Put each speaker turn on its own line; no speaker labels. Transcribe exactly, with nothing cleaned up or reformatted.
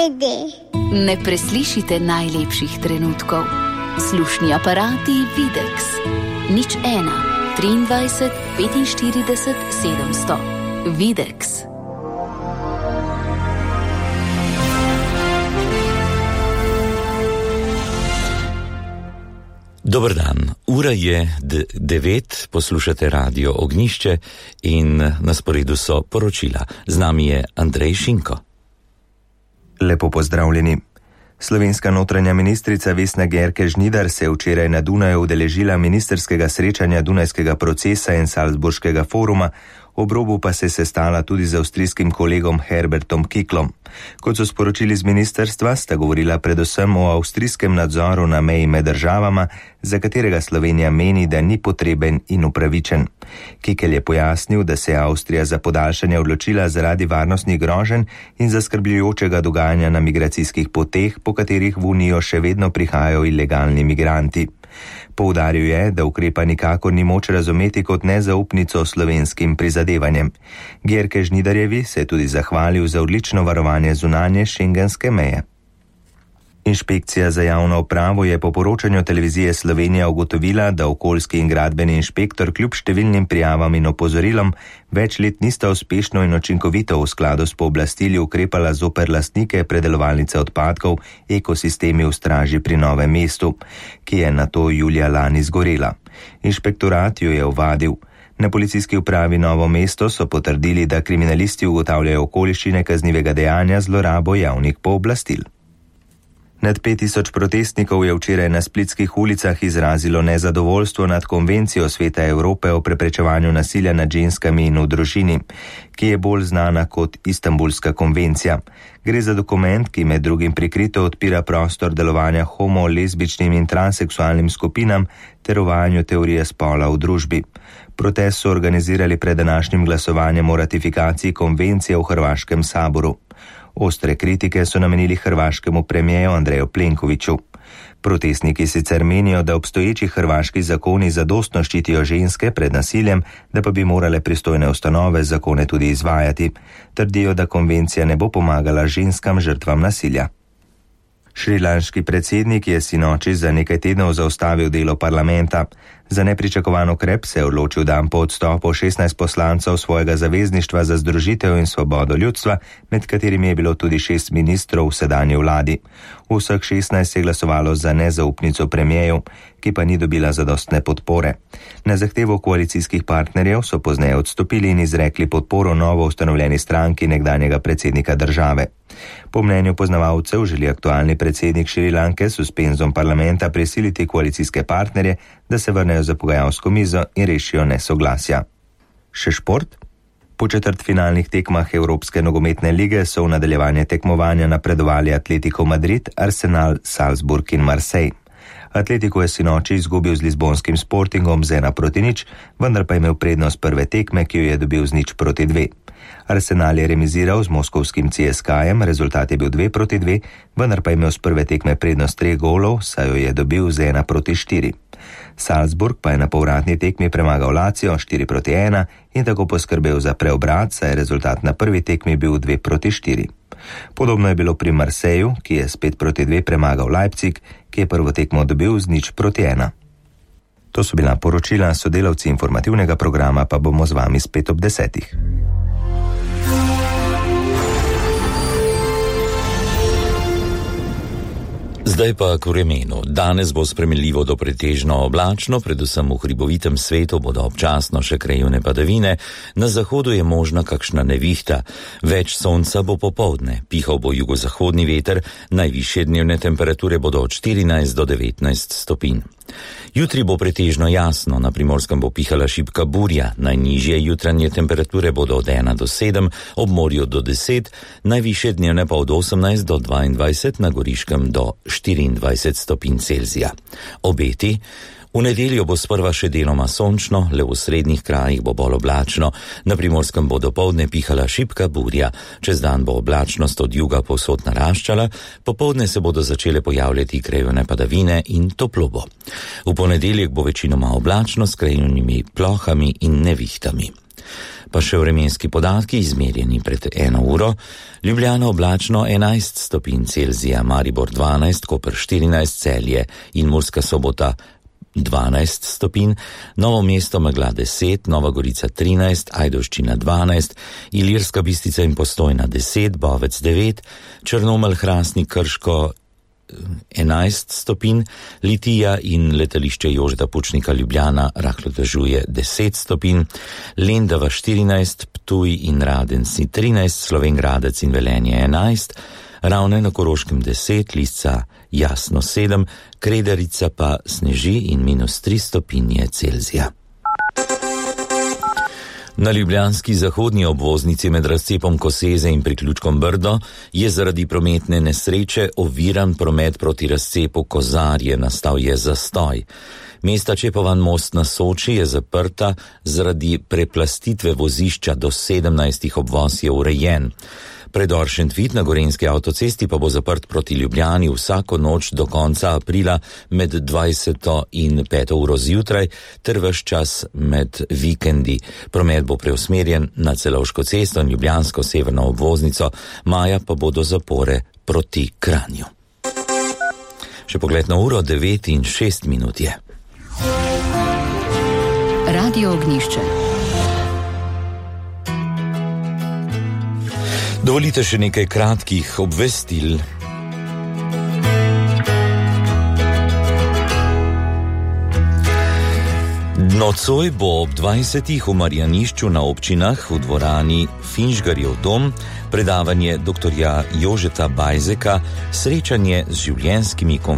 CD.
Ne preslišite najlepših trenutkov. Slušni aparati Videx. Nič ena, triindvajset, petinštirideset, sedemsto. Videx.
Dober dan, ura je devet, poslušate Radio Ognjišče in na sporedu so poročila. Z nami je Andrej Šinko.
Lepo pozdravljeni. Slovenska notranja ministrica Vesna Györkös-Žnidar se je včeraj na Dunaju udeležila ministerskega srečanja Dunajskega procesa in Salzburškega foruma, ob robu pa se je sestala tudi z avstrijskim kolegom Herbertom Kiklom. Kot so sporočili z ministerstva, sta govorila predvsem o avstrijskem nadzoru na meji med državama, za katerega Slovenija meni, da ni potreben in upravičen. Kikel je pojasnil, da se je Avstrija za podaljšanje odločila zaradi varnostnih groženj in zaskrbljujočega dogajanja na migracijskih poteh, po katerih v Unijo še vedno prihajajo ilegalni migranti. Poudaril je, da ukrepa nikakor ni moč razumeti kot nezaupnico slovenskim prizadevanjem. Györkös-Žnidarjevi se je tudi zahvalil za odlično varovanje zunanje šengenske meje. Inšpekcija za javno upravo je po poročanju televizije Slovenija ugotovila, da okoljski in gradbeni inšpektor kljub številnim prijavam in opozorilom več let nista uspešno in učinkovito v skladu s pooblastili ukrepala zoper lastnike predelovalnice odpadkov Ekosistemi v Straži pri Novem mestu, ki je nato julija lani zgorela. Inšpektorat jo je ovadil. Na policijski upravi Novo mesto so potrdili, da kriminalisti ugotavljajo okoliščine kaznivega dejanja zlorabo javnih pooblastil. Nad pet tisoč protestnikov je včeraj na splitskih ulicah izrazilo nezadovoljstvo nad konvencijo Sveta Evrope o preprečevanju nasilja nad ženskami in v družini, ki je bolj znana kot Istanbulska konvencija. Gre za dokument, ki med drugim prikrito odpira prostor delovanja homo, lezbičnim in transseksualnim skupinam ter uvajanju teorije spola v družbi. Protest so organizirali pred današnjim glasovanjem o ratifikaciji konvencije v Hrvaškem saboru. Ostre kritike so namenili hrvaškemu premijeru Andreju Plenkoviću. Protestniki sicer menijo, da obstoječi hrvaški zakoni zadostno ščitijo ženske pred nasiljem, da pa bi morale pristojne ustanove zakone tudi izvajati. Trdijo, da konvencija ne bo pomagala ženskam žrtvam nasilja. Šrilanški predsednik je sinoči za nekaj tednov zaustavil delo parlamenta. Za nepričakovan ukrep se je odločil dan po odstopu šestnajst poslancev svojega zavezništva za združitev in svobodo ljudstva, med katerimi je bilo tudi šest ministrov v sedanji vladi. Vseh šestnajst je glasovalo za nezaupnico premijeju, ki pa ni dobila zadostne podpore. Na zahtevo koalicijskih partnerjev so pozneje odstopili in izrekli podporo novo ustanovljeni stranki nekdanjega predsednika države. Po mnenju poznavalcev želi aktualni predsednik Šrilanke s suspenzom parlamenta prisiliti koalicijske partnerje, da se vrnejo za pogajalsko mizo in rešijo nesoglasja. Še šport? Po četrtfinalnih tekmah Evropske nogometne lige so v nadaljevanje tekmovanja napredovali Atletico Madrid, Arsenal, Salzburg in Marseille. Atletico je sinoči izgubil z lizbonskim Sportingom z ena proti nič, vendar pa je imel prednost prve tekme, ki jo je dobil z nič proti dve. Arsenal je remiziral z moskovskim C S K jem, rezultat je bil dve proti dve, vendar pa je imel z prve tekme prednost treh golov, saj jo je dobil z ena proti štiri. Salzburg pa je na povratni tekmi premagal Lazio štiri proti ena in tako poskrbel za preobrat, saj je rezultat na prvi tekmi bil dve proti štiri. Podobno je bilo pri Marseju, ki je s pet proti dve premagal Leipzig, ki je prvo tekmo dobil z nič proti ena. To so bila poročila, sodelavci informativnega programa pa bomo z vami spet ob desetih.
Zdaj pa k vremenu. Danes bo spremenljivo do pretežno oblačno, predvsem v hribovitem svetu bodo občasno še krajevne padavine, na zahodu je možna kakšna nevihta. Več sonca bo popoldne, pihal bo jugozahodni veter, najvišje dnevne temperature bodo od štirinajst do devetnajst stopinj. Jutri bo pretežno jasno, na Primorskem bo pihala šibka burja, najnižje jutranje temperature bodo od ena do sedem, ob morju do deset, najvišje dnevne pa od osemnajst do dvaindvajset, na Goriškem do štiriindvajset stopinj Celzija. Obeti: v nedeljo bo sprva še deloma sončno, le v srednjih krajih bo bolj oblačno, na Primorskem bo dopoldne pihala šibka burja, čez dan bo oblačnost od juga povsod naraščala, popoldne se bodo začele pojavljati krajevne padavine in toplo bo. V ponedeljek bo večinoma oblačno s krajevnimi plohami in nevihtami. Pa še vremenski podatki, izmerjeni pred eno uro. Ljubljana oblačno enajst stopinj Celzija, Maribor dvanajst, Koper štirinajst, Celje in Murska Sobota dvanajst stopinj, Novo mesto megla deset, Nova Gorica trinajst, Ajdovščina dvanajst, Ilirska Bistrica in Postojna deset, Bovec devet, Črnomelj, Hrastnik, Krško enajst stopinj, Litija in letališče Jožeta Pučnika Ljubljana rahlo dežuje deset stopinj, Lendava štirinajst, Ptuj in Radenci trinajst, Slovenj Gradec in Velenje enajst, Ravne na Koroškem deset, Lisca jasno sedem, Kredarica pa sneži in minus tri stopinje Celzija. Na ljubljanski zahodni obvoznici med razcepom Koseze in priključkom Brdo je zaradi prometne nesreče oviran promet proti razcepu Kozarje, nastal je zastoj. Mesta Čepovan most na Soči je zaprta zaradi preplastitve vozišča, do sedemnajstih obvoz je urejen. Predor Šentvid na Gorenjski avtocesti pa bo zaprt proti Ljubljani vsako noč do konca aprila med dvajseto in peto uro zjutraj ter ves čas med vikendi. Promet bo preusmerjen na Celovško cesto in ljubljansko severno obvoznico, maja pa bodo zapore proti Kranju. Še pogled na uro, devet in šest minut je.
Radio Ognjišče.
Dovolite še nekaj kratkih obvestil. Nocoj bo ob dvajsetih v Marjanišču na občinah v dvorani Finžgarjev dom predavanje doktorja Jožeta Bajzeka, srečanje z življenjskimi konfliktami.